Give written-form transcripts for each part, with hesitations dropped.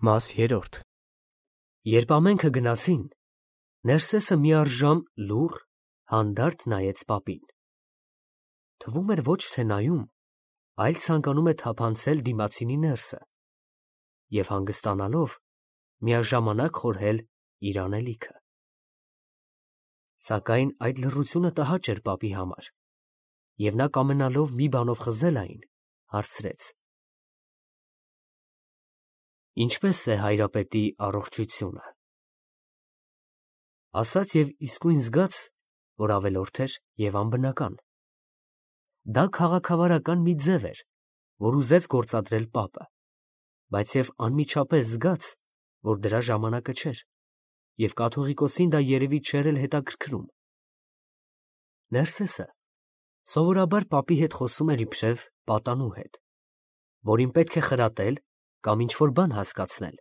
Մաս 3 Երբ ամենքը գնացին, Ներսեսը միառժամ լուռ, հանդարտ նայեց պապին. թվում էր ոչ թե նայում, այլ ցանկանում է թափանցել դիմացինի ներսը և հանգստանալով միաժամանակ խորհել իր անելիքը։ Սակայն այդ լռությունը տհաճ էր պապի համար, և նա կամենալով մի բանով խզել այն, հարցրեց. Ինչպե՞ս է հայրապետի առողջությունը։ Ասաց և իսկույն զգաց, որ ավելորդ էր և անբնական։ Դա քաղաքավարական մի ձև էր, որ ուզեց գործադրել պապը, բայց և անմիջապես զգաց, որ դրա ժամանակը չէր, և կաթողիկոսին դա երևի չէր էլ հետաքրքրում։ Ներսեսը սովորաբար պապի հետ խոսում էր իբրև պատանու հետ, որին պետք է խրատել կամ ինչ֊որ բան հասկացնել։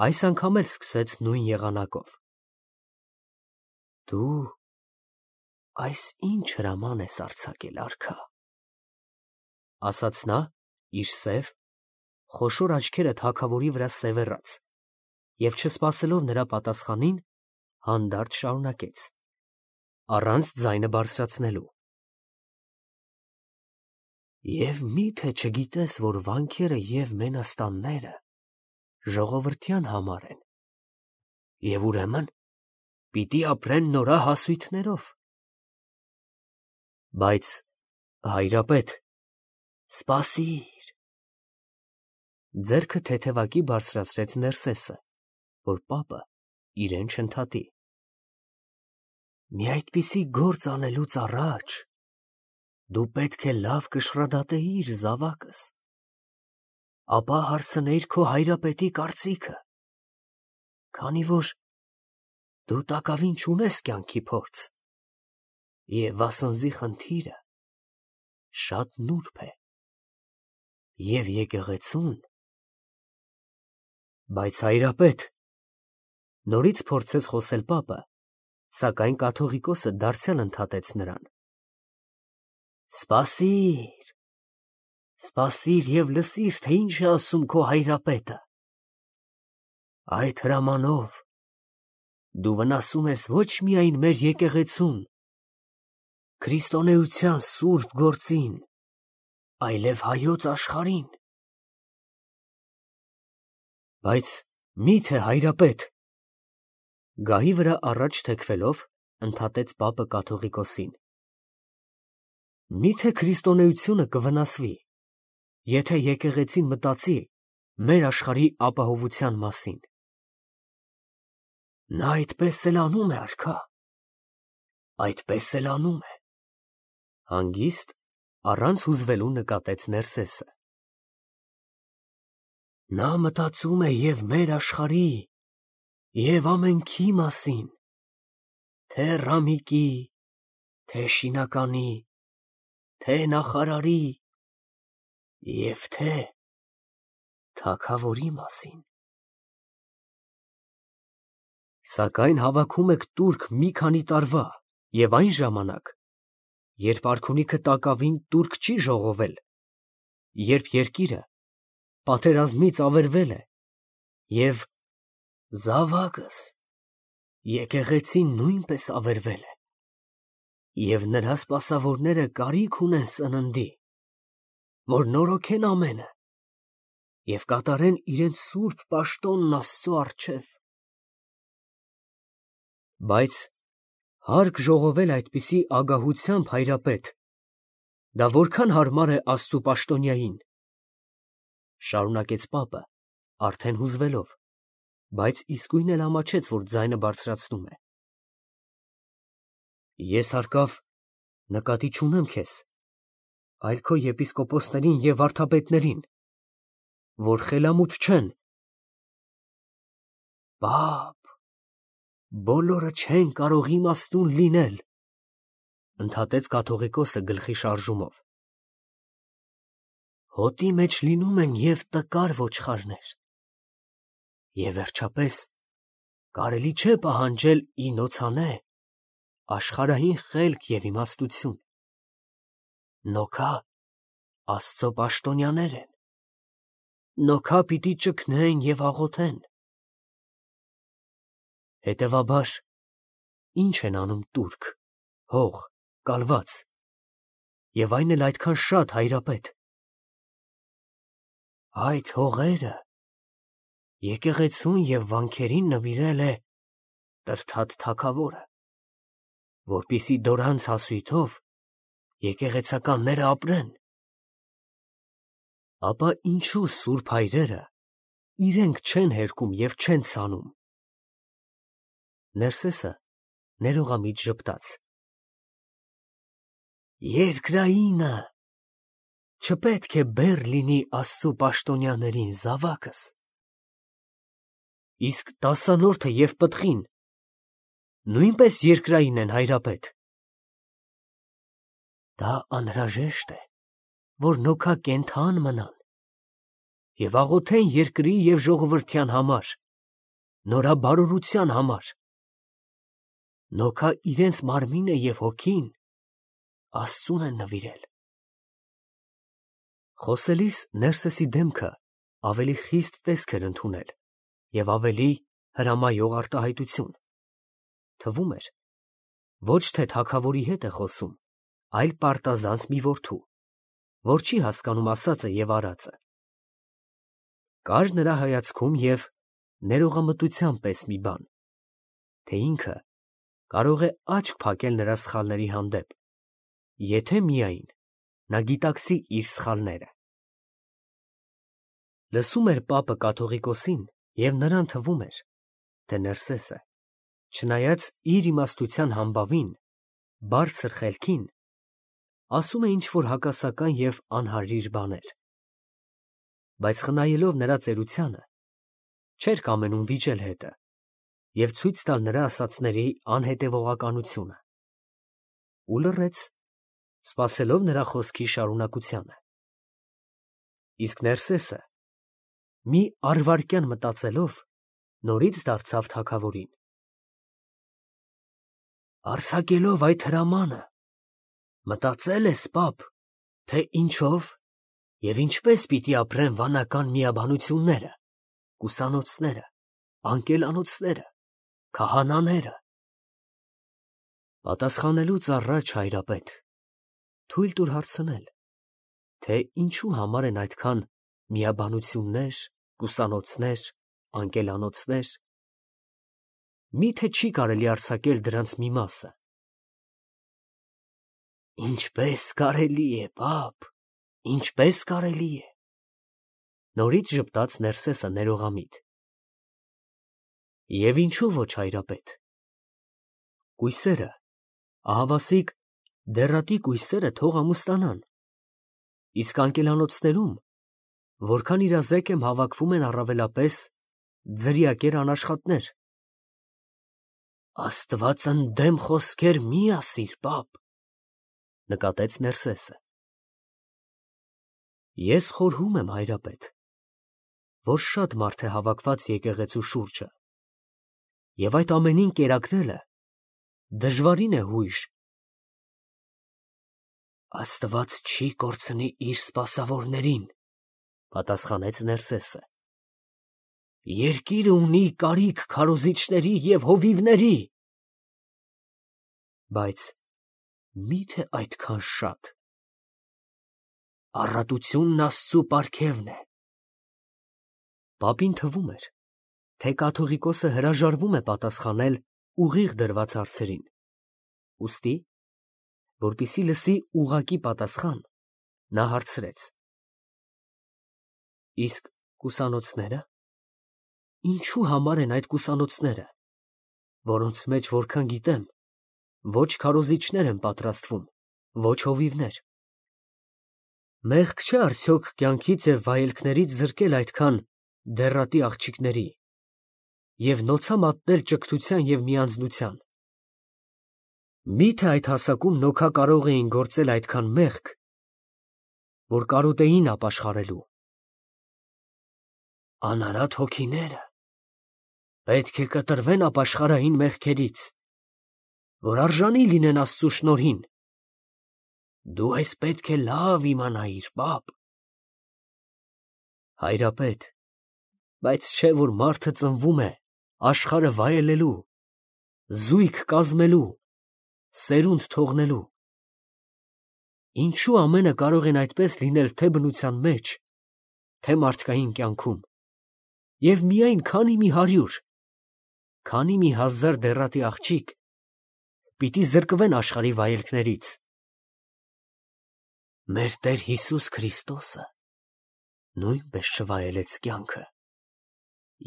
Այս անգամ էլ սկսեց նույն եղանակով. Դու այս ի՞նչ հրաման ես արձակել, արքա, ասաց նա, իր սև, խոշոր աչքերը թագավորի վրա սևեռած, և չսպասելով նրա պատասխանին, հանդարտ շարունակեց, առանց ձայնը բարձրացնելու. Եվ մի՞թե չգիտես, որ վանքերը և մենաստանները ժողովրդյան համար են, և ուրեմն պիտի ապրեն նորահասույթներով։ Բայց, հայրապետ, սպասիր… Ձեռքը թեթևակի բարձրացրեց Ներսեսը, որ պապը իրեն չընդհատի։ Մի այդպիսի գործ անելուց առաջ դու պետք է լավ կշռադատեիր զավակս, ապա հարցնեիր քո հայրապետի կարծիքը, քանի որ դու տակավին չունես կյանքի փորձ, և վասնզի խնդիրը շատ նուրբ է, և եկեղեցուն… Բայց, հայրապետ… Նորից փորձեց խոսել պապը, սակայն կաթողիկոսը դարձյալ ընդհատեց նրան. Սպասիր… Սպասիր և լսիր, թե ինչ է ասում քո հայրապետը… Այդ հրամանով դու վնասում ես ոչ միայն մեր եկեղեցուն, քրիստոնեության սուրբ գործին, այլև հայոց աշխարհին… Բայց մի՞թե, հայրապետ… Գահի վրա առաջ թեքվելով, ընդհատեց պապը կաթողիկոսին. Մի՞թե քրիստոնեությունը կվնասվի, եթե եկեղեցին մտածի մեր աշխարհի ապահովության մասին։ Նա այդպես էլ անում է, արքա, այդպես էլ անում է… Հանգիստ, առանց հուզվելու նկատեց Ներսեսը։ Նա մտածում է և մեր աշխարհի, և ամենքի մասին, թե Ռամիկի, թե Շինականի, թե նախարարի և թե թագավորի մասին… Սակայն հավաքում եք տուրք մի քանի տարվա և այն ժամանակ, երբ արքունիքը տակավին տուրք չի ժողովել, երբ երկիրը պատերազմից ավերվել է, և… զավակս, եկեղեցին նույնպես ավերվել է, և նրա սպասավորները կարիք ունեն սննդի, որ նորոգեն ամենը և կատարեն իրենց սուրբ պաշտոնն Աստծո առջև… Բայց հարկ ժողովել այդպիսի ագահությամբ, հայրապետ, դա որքան հարմար է Աստծու պաշտոնյային… Շարունակեց պապը, արդեն հուզվելով, բայց իսկույն էլ ամաչեց, որ ձայնը բարձրացնում է. Ես հարկավ նկատի չունեմ քեզ, այլ քո եպիսկոպոսներին և վարդապետներին, որ խելամուտ չեն… Պապ, բոլորը չեն կարող իմաստուն լինել, ընդհատեց կաթողիկոսը գլխի շարժումով… Հոտի մեջ լինում են և տկար ոչխարներ, և վերջապես կարելի չէ պահանջել ի նոցանե աշխարհային խելք և իմաստություն… Նոքա Աստծո պաշտոնյաներ են, նոքա պիտի ճգնեն և աղոթեն։ Հետևաբար, ինչ են անում տուրք, հող, կալված, և այն էլ այդքան շատ, հայրապետ։ Այդ հողերը եկեղեցուն և վանքերին նվիրել է Տրդատ թագավորը, որպեսզի դորանց հասույթով եկեղեցականները ապրեն։ Ապա ինչու սուրբ հայրերը իրենք չեն հերկում և չեն ցանում։ Ներսեսը ներողամիտ ժպտաց։ Երկրայինը չպետք է բեռ լինի Աստծու պաշտոնյաներին, զավակս։ Իսկ տասանորդը և պտղին նույնպես երկրային են, հայրապետ։ Դա անհրաժեշտ է, որ նոքա կենդան մնան և աղոթեն երկրի և ժողովրդյան համար, նորաբարօրության համար։ Նոքա իրենց մարմինը և հոգին Աստծուն են նվիրել։ Խոսելիս Ներսեսի դեմքը ավելի խիստ տեսք էր ընդունել և ավելի հրամայող արտահայտություն։ Թվում էր, ոչ թե թագավորի հետ է խոսում, այլ պարտազանց մի որդու, որ չի հասկանում ասածը և արածը։ Կար նրա հայացքում և ներողամտության պես մի բան, թե ինքը կարող է աչք փակել նրա սխալների հանդեպ, եթե միայն նա գիտակցի իր սխալները։ Լսում էր պապը կաթողիկոսին, և նրան թվում էր, թե Ներսեսը, չնայած իր իմաստության համբավին, բարձր խելքին, ասում է ինչ-որ հակասական և անհարիր բաներ, բայց խնայելով նրա ծերությանը, չէր կամենում վիճել հետը և ցույց տալ նրա ասածների անհետևողականությունը, ու լռեց, սպասելով նրա խոսքի շարունակությանը։ Իսկ Ներսեսը, մի առվայրկյան մտածելով, նորից դարձավ թագավորին. Արձակելով այդ հրամանը, մտածել ես, պապ, թե ինչով և ինչպես պիտի ապրեն վանական միաբանությունները, կուսանոցները, անկելանոցները, քահանաները։ Պատասխանելուց առաջ, հայրապետ, թույլ տուր հարցնել, թե ինչու համար են այդքան միաբանություններ, կուսանոցներ, անկելանոցներ։ Մի՞թե չի կարելի արձակել դրանց մի մասը։ Ինչպես կարելի է, պապ, ինչպես կարելի է։ Նորից ժպտաց Ներսեսը ներողամիտ։ Եվ ինչու ոչ, հայրապետ։ Կույսերը, ահավասիկ դեռատի կույսերը թող ամուսնանան, իսկ անկելանոցներում, որքան իրազեկ եմ, հավաքվում են առավելապես ձրիակեր անաշխատներ։ Աստված ընդդեմ խոսքեր մի ասիր, պապ, նկատեց Ներսեսը։ Ես խորհում եմ, հայրապետ, որ շատ մարդ է հավաքված եկեղեցու շուրջը, և այդ ամենին կերակրելը դժվարին է հույժ։ Աստված չի կորցնի իր սպասավորներին, պատասխանեց Ներսեսը։ Երկիրը ունի կարիք քարոզիչների և հովիվների։ Բայց մի՞թե այդքան շատ։ Առատությունն Աստծու պարգևն է։ Պապին թվում էր, թե կաթողիկոսը հրաժարվում է պատասխանել ուղիղ դրված հարցերին, ուստի, որպեսզի լսի ուղղակի պատասխան, նա հարցրեց. Իսկ կուսանոցնե՞րը։ Ինչու համար են այդ կուսանոցները, որոնց մեջ, որքան գիտեմ, ոչ քարոզիչներ են պատրաստվում, ոչ հովիվներ։ Մեղք չէ արդյոք կյանքից և վայելքներից զրկել այդքան դեռատի աղջիկների և նոցա մատնել ճգնության և միանձնության։ Մի՞թե այդ հասակում նոքա կարող էին գործել այդքան մեղք, որ կարոտեին ապաշխարելու։ Անարատ հոգիները պետք է կտրվեն ապաշխարային մեղքերից, որ արժանի լինեն Աստծու շնորհին։ Դու այս պետք է լավ իմանայիր, պապ։ Հայրապետ, բայց չէ որ մարդը ծնվում է աշխարհը վայելելու, զույգ կազմելու, սերունդ թողնելու։ Ինչու ամենը կարող են այդպես լինել թե բնության մեջ, թե մարդկային կյանքում, և միայն քանի մի 100, քանի մի 1000 դեռատի աղջիկ պիտի զրկվեն աշխարհի վայելքներից։ Մեր Տեր Հիսուս Քրիստոսը նույնպես չվայելեց կյանքը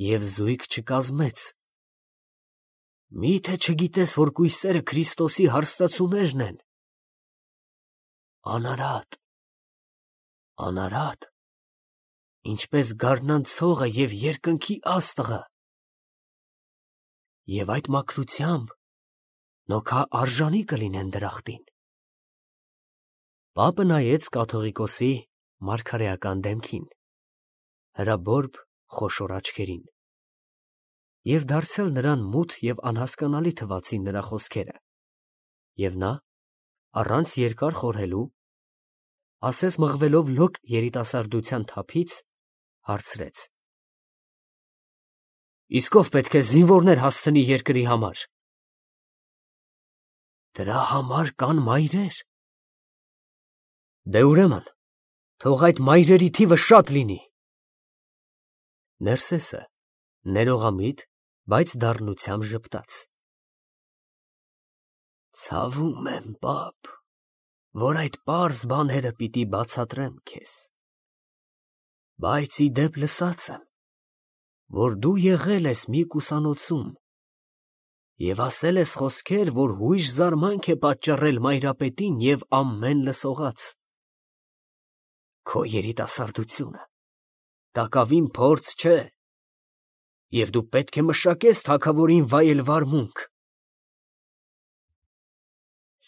և զույգ չկազմեց։ Մի՞թե չգիտես, որ կույսերը Քրիստոսի հարստացուներն են։ Անարատ, անարատ, ինչպես գարնան ցողը և երկնքի աստղը, և այդ մաքրությամբ նոքա արժանի կլինեն դրախտին։ Պապը նայեց կաթողիկոսի մարգարեական դեմքին, հրաբորբ խոշոր աչքերին, և դարձյալ նրան մութ և անհասկանալի թվացին նրա խոսքերը, և նա, առանց երկար խորհելու, ասես մղվելով լոկ երիտասարդության թափից, հարցրեց. Իսկ ով պետք է զինվորներ հասցնի երկրի համար։ Դրա համար կան մայրեր։ Դե ուրեմն, թող այդ մայրերի թիվը շատ լինի։ Ներսեսը ներողամիտ, բայց դառնությամբ ժպտաց. Ցավում եմ, պապ, որ այդ պարզ բաները պիտի բացատրեմ քեզ, բայց ի դեպ լսած եմ, որ դու եղել ես մի կուսանոցում և ասել ես խոսքեր, որ հույժ զարմանք է պատճառել մայրապետին և ամեն լսողաց։ Քո երիտասարդությունը տակավին փորձ չէ, և դու պետք է մշակես թագավորին վայելվար մունք։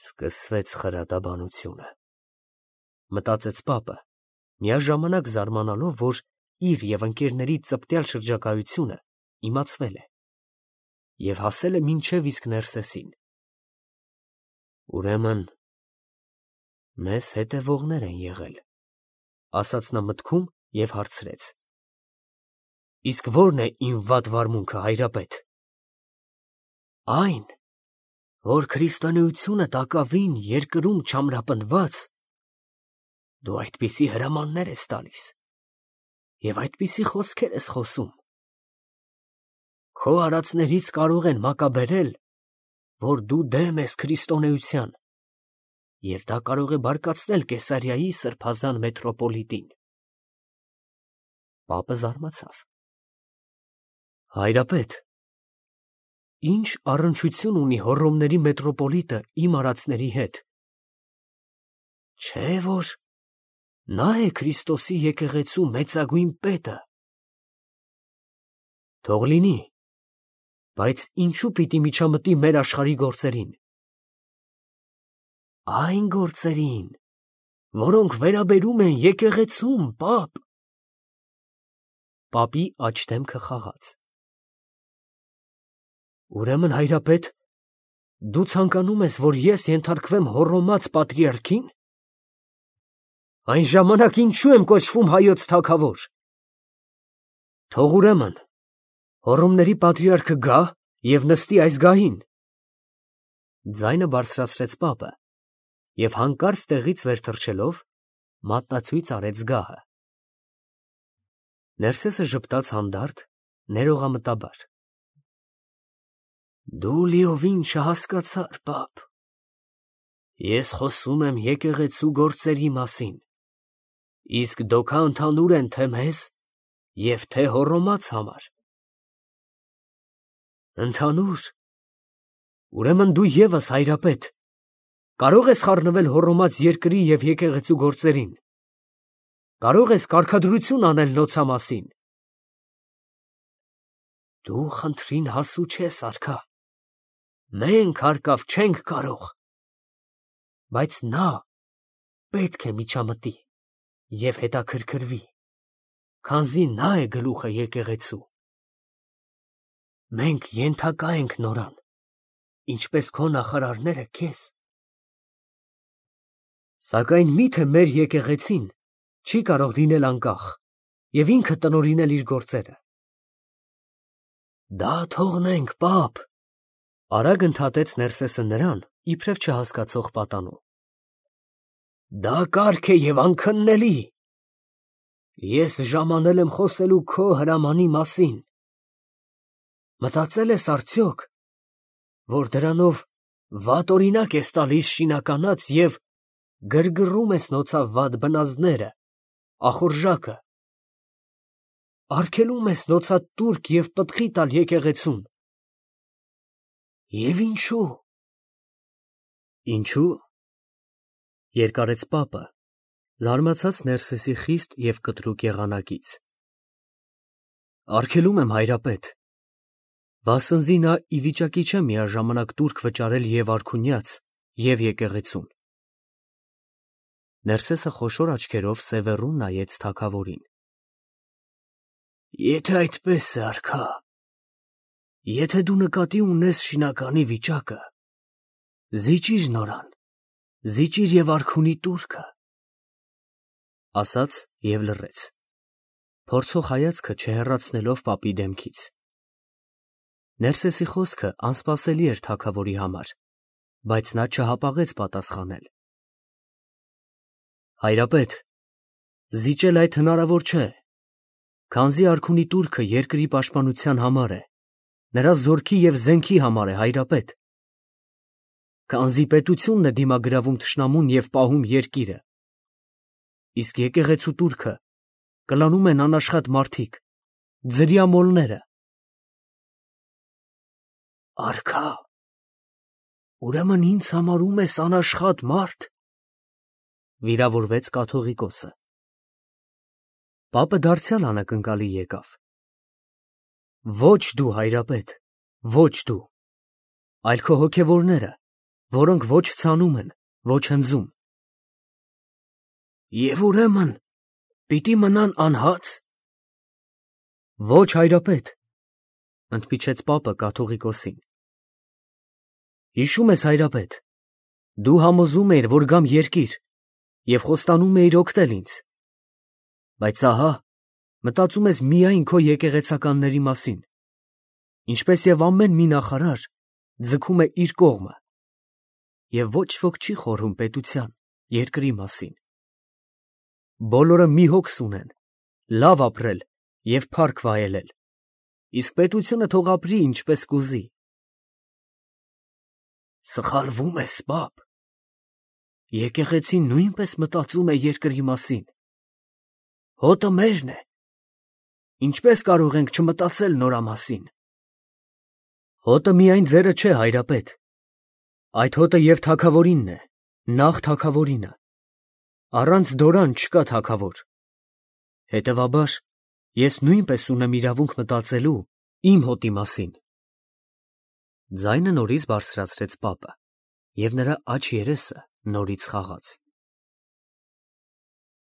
Սկսվեց խրատաբանությունը, մտածեց պապը, միաժամանակ զարմանալով, որ իր և ընկերների ծպտյալ շրջագայությունը իմացվել է և հասել է մինչև իսկ Ներսեսին։ Ուրեմն, մեզ հետևողներ են եղել, ասաց նա մտքում և հարցրեց. Իսկ ո՞րն է իմ վատ վարմունքը, հայրապետ։ Այն, որ քրիստոնեությունը տակավին երկրում չամրապնդված, դու այդպիսի հրամաններ ես տալիս և այդպիսի խոսքեր ես խոսում։ Քո արածներից կարող են մակաբերել, որ դու դեմ ես քրիստոնեության, և դա կարող է բարկացնել Կեսարիայի սրբազան մետրոպոլիտին։ Պապը զարմացավ. Հայրապետ, ինչ առնչություն ունի Հոռոմների մետրոպոլիտը իմ արածների հետ։ Չէ՞ որ նա է Քրիստոսի եկեղեցու մեծագույն պետը։ Թող լինի, բայց ինչու պիտի միջամտի մեր աշխարհի գործերին։ Այն գործերին, որոնք վերաբերում են եկեղեցուն, պապ։ Պապի աջ դեմքը խաղաց։ Ուրեմն, հայրապետ, դու ցանկանում ես, որ ես ենթարկվեմ հոռոմած պատրիարքին։ Այն ժամանակ ինչու եմ կոչվում հայոց թագավոր։ Թող ուրեմն Հոռոմների պատրիարքը գա և նստի այս գահին։ Ձայնը բարձրացրեց պապը և հանկարծ տեղից վեր թռչելով մատնացույց արեց գահը։ Ներսեսը ժպտաց հանդարտ, ներողամտաբար. Դու լիովին չհասկացար, պապ։ Ես խոսում եմ եկեղեցու գործերի մասին, իսկ դոքա ընդհանուր են թե մեզ և թե հոռոմած համար։ Ընդհանուր։ Ուրեմն դու ևս, հայրապետ, կարող ես խառնվել հոռոմած երկրի և եկեղեցու գործերին։ Կարող ես կարգադրություն անել նոցա մասին։ Դու խնդրին հասու չես, արքա։ Մենք հարկավ չենք կարող։ Բայց նա պետք է միջամտի և հետաքրքրվի, քանզի նա է գլուխը եկեղեցու։ Մենք ենթակա ենք նորան, ինչպես քո նախարարները քեզ։ Սակայն մի՞թե մեր եկեղեցին չի կարող լինել անկախ և ինքը տնօրինել իր գործերը։ Դա թողնենք, պապ, արագ ընդհատեց Ներսեսը նրան, իբրև չհասկացող պատանու։ Դա կարգ է և անքննելի։ Ես ժամանել եմ խոսելու քո հրամանի մասին։ Մտածել ես արդյոք, որ դրանով վատ օրինակ ես տալիս շինականաց և գրգռում ես նոցավ վատ բնազդները, ախորժակը, արգելում ես նոցատ տուրք և պտղի տալ եկեղեցուն։ Եվ ինչու։ Ինչու։ Երկարեց պապը, զարմացած Ներսեսի խիստ և կտրուկ եղանակից։ Արգելում եմ, հայրապետ, վասնզի նա ի վիճակի չէ միաժամանակ տուրք վճարել և արքունյաց, և եկեղեցուն։ Ներսեսը խոշոր աչքերով սևեռուն նայեց թագավորին։ Եթե այդպես է, արքա, եթե դու նկատի ունես շինականի վիճակը, զիջիր նորան, զիջիր և արքունի տուրքը, ասաց և լռեց, փորձող հայացքը չհեռացնելով պապի դեմքից։ Ներսեսի խոսքը անսպասելի էր թագավորի համար, բայց նա չհապաղեց պատասխանել։ Հայրապետ, զիջել այդ հնարավոր չէ, քանզի արքունի տուրքը երկրի պաշտպանության համար է, նրա զորքի և զենքի համար է, հայրապետ, քանզի պետությունն է դիմագրավում թշնամուն և պահում երկիրը, իսկ եկեղեցու տուրքը կլանում են անաշխատ մարդիկ, ձրիամոլները։ Արքա, ուրեմն ինձ համարում ես անաշխատ մարդ, վիրավորվեց կաթողիկոսը։ Պապը դարձյալ անակնկալի եկավ։ Ոչ դու, հայրապետ, ոչ դու, այլ քո հոգևորները, որոնք ոչ ցանում են, ոչ հնձում։ Եվ ուրեմն պիտի մնան անհա՞ծ։ Ոչ, հայրապետ, ընդմիջեց պապը կաթողիկոսին։ Հիշում ես, հայրապետ, դու համոզում էիր, որ գամ երկիր, և խոստանում էիր օգնել ինձ, բայց ահա, մտածում ես միայն քո եկեղեցականների մասին, ինչպես և ամեն մի նախարար ձգում է իր կողմը, և ոչ ոք չի խորհում պետության, երկրի մասին։ Բոլորը մի հոգս ունեն, լավ ապրել և փառք վայելել, իսկ պետությունը թող ապրի ինչպես կուզի։ Սխալվում ես, պապ, եկեղեցին նույնպես մտածում է երկրի մասին։ Հոտը մերն է, ինչպես կարող ենք չմտածել նրա մասին։ Հոտը միայն ձերը չէ, հայրապետ, այդ հոտը և թագավորինն է, նախ թագավորինը, առանց դորան չկա թագավոր, հետևաբար ես նույնպես ունեմ իրավունք մտածելու իմ հոտի մասին։ Ձայնը նորից բարձրացրեց պապը, և նրա աջ երեսը նորից խաղաց։